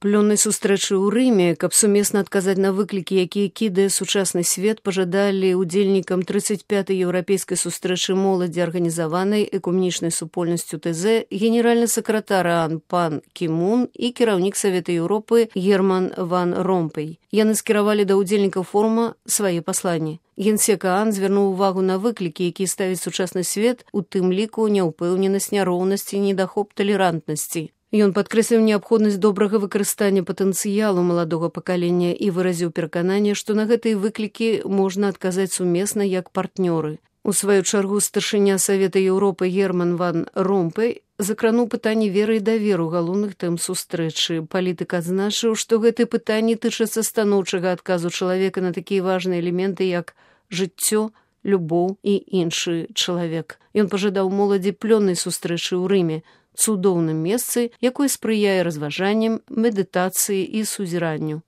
плённай сустрэчы ў Рыме, каб сумесна адказаць на выклікі, якія кідае сучасны свет, пажадалі удзельнікам 35-й еўрапейскай сустрэчы моладзі, арганізаванай экуменічнай супольнасцю ТЗ, генеральны сакратар ААН пан Кі-мун і кіраўнік Савета Еўропы Герман ван Ромпэй. Яны скіравалі да ўдзельнікаў форума свае пасланні. Генсек ААН звярнуў увагу на выклікі, якія ставіць сучасны свет, у тым ліку няўпэўненасць, няроўнасці, недахоп талерантнасці. Ён падкрэсліў неабходнасць добрага выкарыстання патэнцыялу маладога пакалення і выразіў перакананне, што на гэтыя выклікі можна адказаць сумесна як партнёры. У сваю чаргу старшыня Савета Еўропы Герман ван Ромпэй закрануў пытанне веры і даверу галоўных тэм сустрэчы. Палітык адзначыў, што гэтыя пытанні тычацца станоўчага адказу чалавека на такія важныя элементы, як жыццё, любоў і іншы чалавек. Ён пажадаў моладзі плённай сустрэчы ў Рыме, цудоўным месцы, якое спрыяе разважанням, медытацыі і сузіранню.